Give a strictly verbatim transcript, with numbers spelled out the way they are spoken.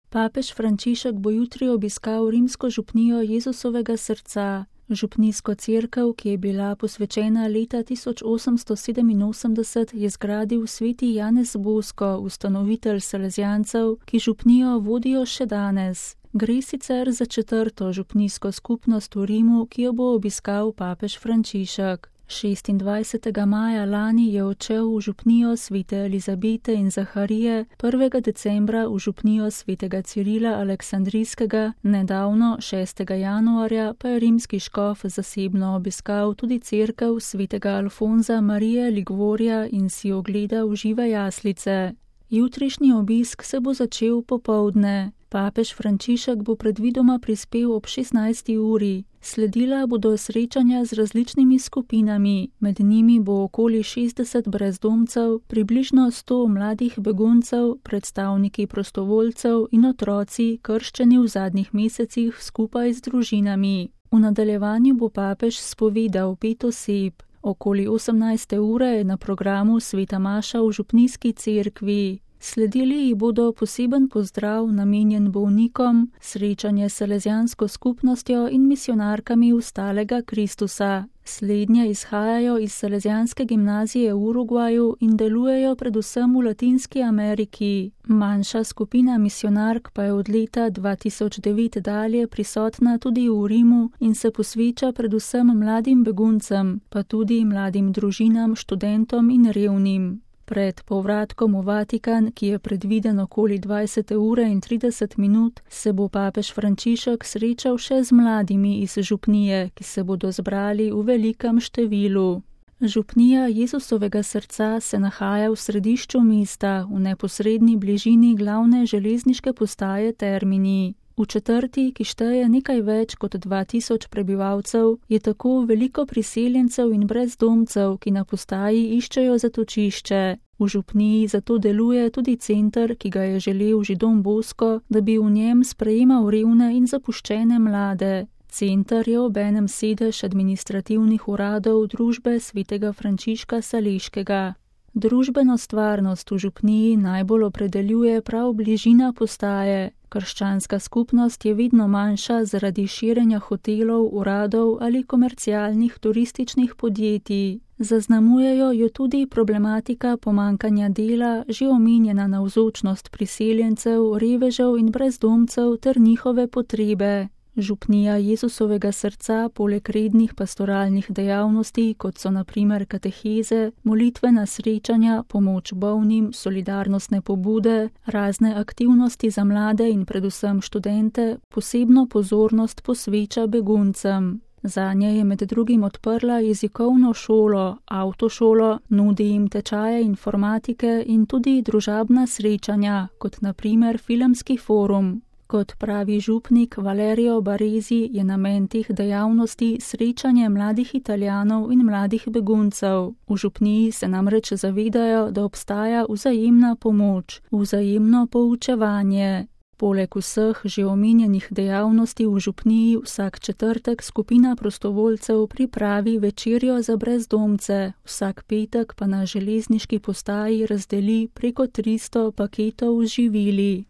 Papež Frančišek bo jutri obiskal rimsko župnijo Jezusovega srca. Župnijsko cerkev, ki je bila posvečena leta tisoč osemsto sedeminosemdeset, je zgradil sveti Janez Bosko, ustanovitelj Salezijancev, ki župnijo vodijo še danes. Gre sicer za četrto župnijsko skupnost v Rimu, ki jo bo obiskal papež Frančišek. šestindvajsetega maja lani je odšel v župnijo svete Elizabete in Zaharije, prvega decembra v župnijo svetega Cirila Aleksandrijskega, nedavno, šestega januarja, pa je rimski škof zasebno obiskal tudi cerkev svetega Alfonza Marije Ligvorja in si ogledal žive jaslice. Jutrišnji obisk se bo začel popoldne. Papež Frančišek bo predvidoma prispel ob šestnajsti uri. Sledila bodo srečanja z različnimi skupinami, med njimi bo okoli šestdeset brezdomcev, približno sto mladih beguncev, predstavniki prostovoljcev in otroci, krščeni v zadnjih mesecih skupaj z družinami. V nadaljevanju bo papež spovedal pet oseb. Okoli osemnajste ure je na programu sveta maša v župnijski cerkvi. Sledili ji bodo poseben pozdrav namenjen bolnikom, srečanje s salezijansko skupnostjo in misionarkami ustalega Kristusa. Slednje izhajajo iz Salezijanske gimnazije v Urugvaju in delujejo predvsem v Latinski Ameriki. Manjša skupina misionark pa je od leta dva tisoč devet dalje prisotna tudi v Rimu in se posveča predvsem mladim beguncem, pa tudi mladim družinam, študentom in revnim. Pred povratkom v Vatikan, ki je predviden okoli dvajsete ure in trideset minut, se bo papež Frančišek srečal še z mladimi iz župnije, ki se bodo zbrali v velikem številu. Župnija Jezusovega srca se nahaja v središču mesta, v neposredni bližini glavne železniške postaje Termini. V četrti, ki šteje nekaj več kot dva tisoč prebivalcev, je tako veliko priseljencev in brezdomcev, ki na postaji iščejo zatočišče. V župniji zato deluje tudi center, ki ga je želel Židon Bosko, da bi v njem sprejemal revne in zapuščene mlade. Center je obenem sedež administrativnih uradov družbe svetega Frančiška Saleškega. Družbeno stvarnost v župniji najbolj opredeljuje prav bližina postaje. Krščanska skupnost je vedno manjša zaradi širjenja hotelov, uradov ali komercialnih turističnih podjetij. Zaznamujejo jo tudi problematika pomankanja dela, že omenjena navzočnost priseljencev, revežev in brezdomcev ter njihove potrebe. Župnija Jezusovega srca poleg rednih pastoralnih dejavnosti, kot so na primer kateheze, molitvena srečanja, pomoč bolnim, solidarnostne pobude, razne aktivnosti za mlade in predvsem študente, posebno pozornost posveča beguncem. Zanje je med drugim odprla jezikovno šolo, avtošolo, nudi jim tečaje informatike in tudi družabna srečanja, kot na primer filmski forum. Kot pravi župnik Valerio Baresi, je namen teh dejavnosti srečanje mladih Italijanov in mladih beguncev. V župniji se namreč zavedajo, da obstaja vzajemna pomoč, vzajemno poučevanje. Poleg vseh že omenjenih dejavnosti v župniji vsak četrtek skupina prostovoljcev pripravi večerjo za brezdomce, vsak petek pa na železniški postaji razdeli preko tristo paketov z živili.